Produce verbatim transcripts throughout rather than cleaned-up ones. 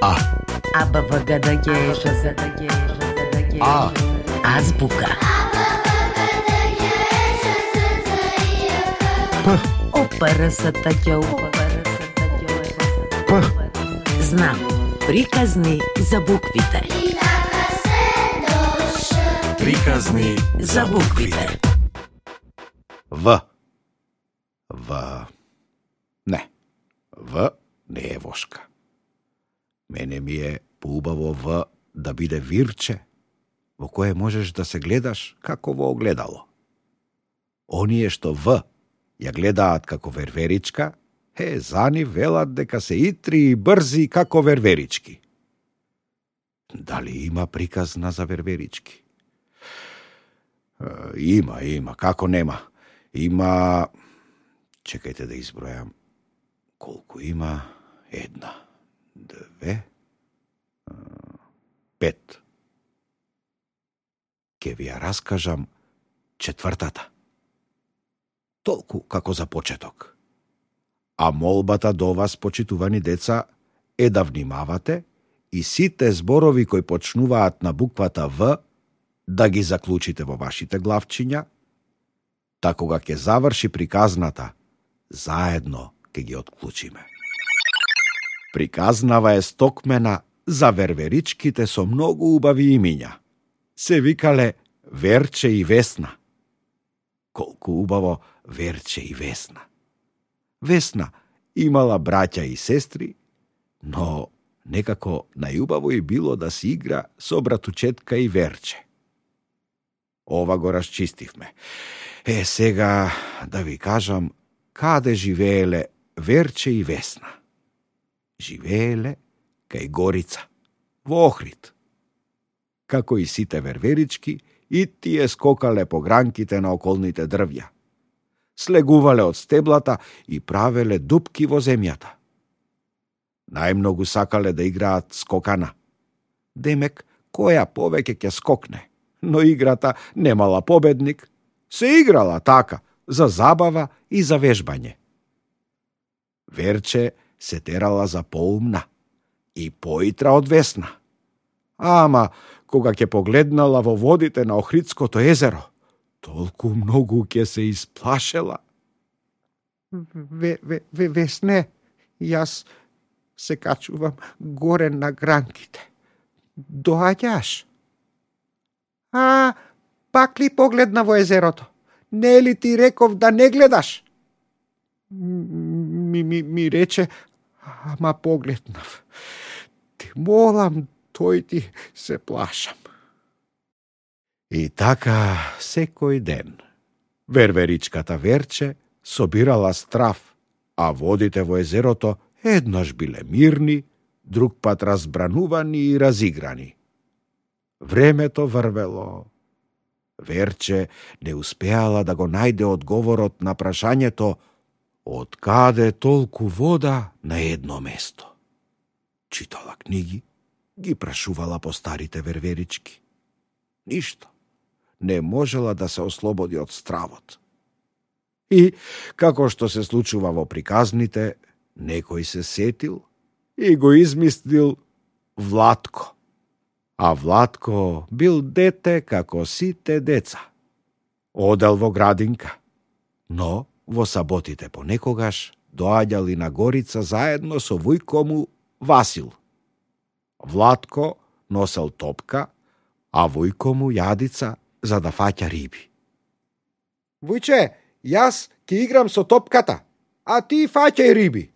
А. А, Б, В, Г, Д, Г, Ш, З, Д, Г, Ж, З, Д, Г. А. Азбука. П. О, П, Р, С, Т, Ć, У, П, Р, С, Т, Ć, У, П. Знам. Приказни за буквите. Приказни за буквите. В. В. Не. В не е вошка. Мене ми е поубаво В да биде вирче, во кое можеш да се гледаш како во огледало. Оние што В ја гледаат како верверичка, е, за нив велат дека се итри и брзи како верверички. Дали има приказна за верверички? Е, има, има, како нема. Има... Чекајте да избројам. Колку има? Една, две, пет. Ке ви ја раскажам четвртата. Толку како за почеток. А молбата до вас, почитувани деца, е да внимавате и сите зборови кои почнуваат на буквата В да ги заклучите во вашите главчиња, та кога ќе заврши приказната, заедно ќе ги отклучиме. Приказнава е стокмена за верверичките со многу убави имиња. Се викале Верче и Весна. Колку убаво Верче и Весна. Весна имала браќа и сестри, но некако најубаво и било да си игра со братучетка и Верче. Ова го расчистивме. Е, сега да ви кажам каде живееле Верче и Весна. Живееле кај Горица, во Охрид. Како и сите верверички, и тие скокале по гранките на околните дрвја. Слегувале од стеблата и правеле дупки во земјата. Најмногу сакале да играат скокана. Демек, која повеќе ќе скокне, но играта немала победник, се играла така, за забава и за вежбање. Верче се терала за поумна и поитра од Весна. Ама, кога ќе погледнала во водите на Охридското езеро, толку многу ќе се исплашела. Ве, ве, ве, Весне, јас се качувам горе на гранките. Доаѓаш? А, пак ли погледна во езерото? Не ли ти реков да не гледаш? Ми, ми, ми рече, ама погледнав. Ти молам, тој ти се плашам. И така секој ден верверичката Верче собирала страв, а водите во езерото еднаш биле мирни, друг пат разбранувани и разиграни. Времето врвело. Верче не успеала да го најде одговорот на прашањето од каде толку вода на едно место. Читала книги, ги прашувала по старите верверички. Ништо. Не можела да се ослободи од стравот. И, како што се случува во приказните, некој се сетил и го измислил Влатко. А Влатко бил дете како сите деца. Одел во градинка, но во саботите понекогаш доаѓали на Горица заедно со вујко му Васил. Влатко носел топка, а вујко му јадица за да фаќа риби. Вујче, јас ќе играм со топката, а ти фаќај риби.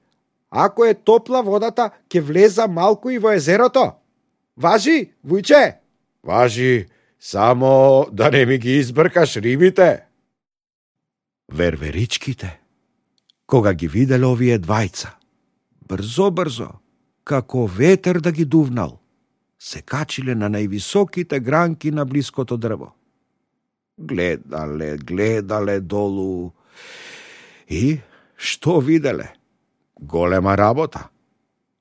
Ако е топла водата, ќе влеза малку и во езерото. Важи, вујче? Важи, само да не ми ги избркаш рибите. Верверичките, кога ги виделе овие двајца, брзо-брзо, како ветер да ги дувнал, се качиле на највисоките гранки на блиското дрво. Гледале, гледале долу и што виделе? Голема работа.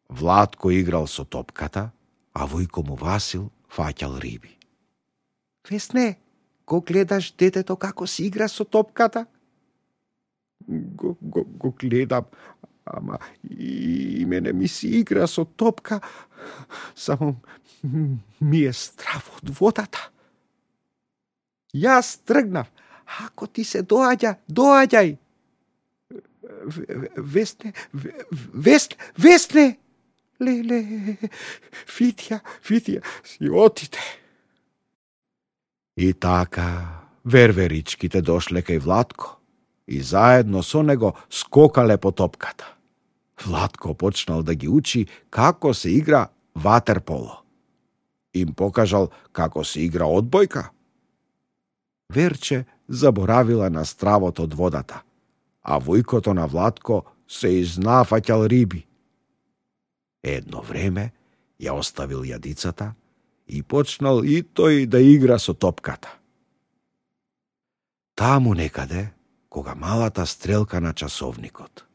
Влатко играл со топката, а вујко му Васил фаќал риби. Весне, го гледаш детето како си игра со топката? Го, го, го гледам, ама и мене ми си игра со топка, само ми е страв од водата. Јас тргнав. Ако ти се доаѓа, доаѓај. Весне, весне, весне. Леле, Фитја, Фитја, си отите. И така, верверичките дошле кај Владко и заедно со него скокале по топката. Владко почнал да ги учи како се игра ватерполо. Им покажал како се игра одбојка. Верче заборавила на стравот од водата, а војкото на Владко се изнафаќал риби. Едно време ја оставил јадицата и почнал и тој да игра со топката. Таму некаде, кога малата стрелка на часовникот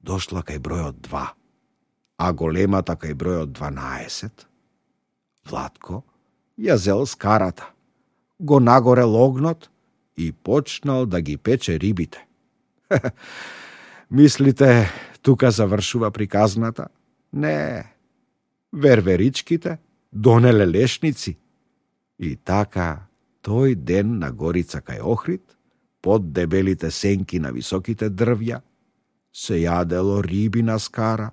дошла кај бројот два, а големата кај бројот дванаесет, Владко ја зел скарата, го нагорел огнот и почнал да ги пече рибите. Мислите, тука завршува приказната? Не, верверичките донеле лешници. И така, тој ден на горица кај Охрид, под дебелите сенки на високите дрвја, се јадело риби на скара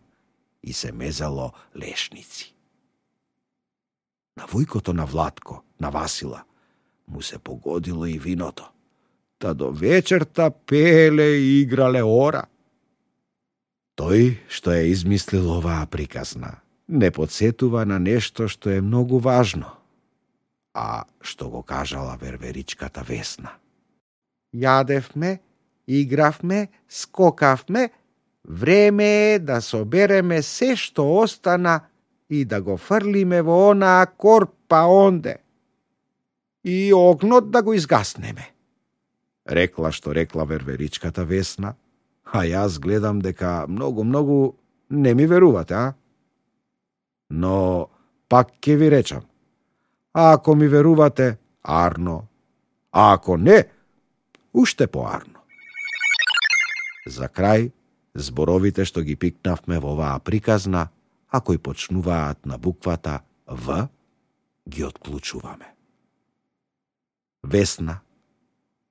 и се мезало лешници. На војкото на Владко, на Васила, му се погодило и виното, та до вечерта пееле и играле ора. Тој што е измислил оваа приказна не подсетува на нешто што е многу важно, а што го кажала верверичката Весна. Јадевме, игравме, скокавме, време е да собереме се што остана и да го фрлиме во онаа корпа онде. И огнот да го изгаснеме. Рекла што рекла верверичката Весна, а јас гледам дека многу-многу не ми верувате, а? Но пак ќе ви речам, а ако ми верувате, арно, а ако не, уште поарно. За крај, зборовите што ги пикнавме во оваа приказна, а кои почнуваат на буквата В, ги отклучуваме. Весна,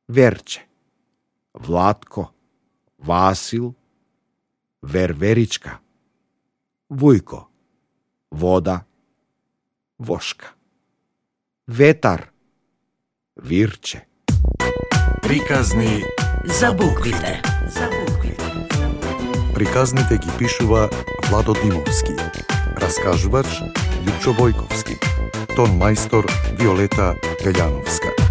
Верче, Владко, Васил, Верверичка, Вујко, Вода, Вошка, Ветар, Вирче. Приказни За буквите. За буквите. Приказните ги пишува Владо Димовски. Раскажувач Лјупчо Бојковски. Тон мајстор Виолета Гаљановска.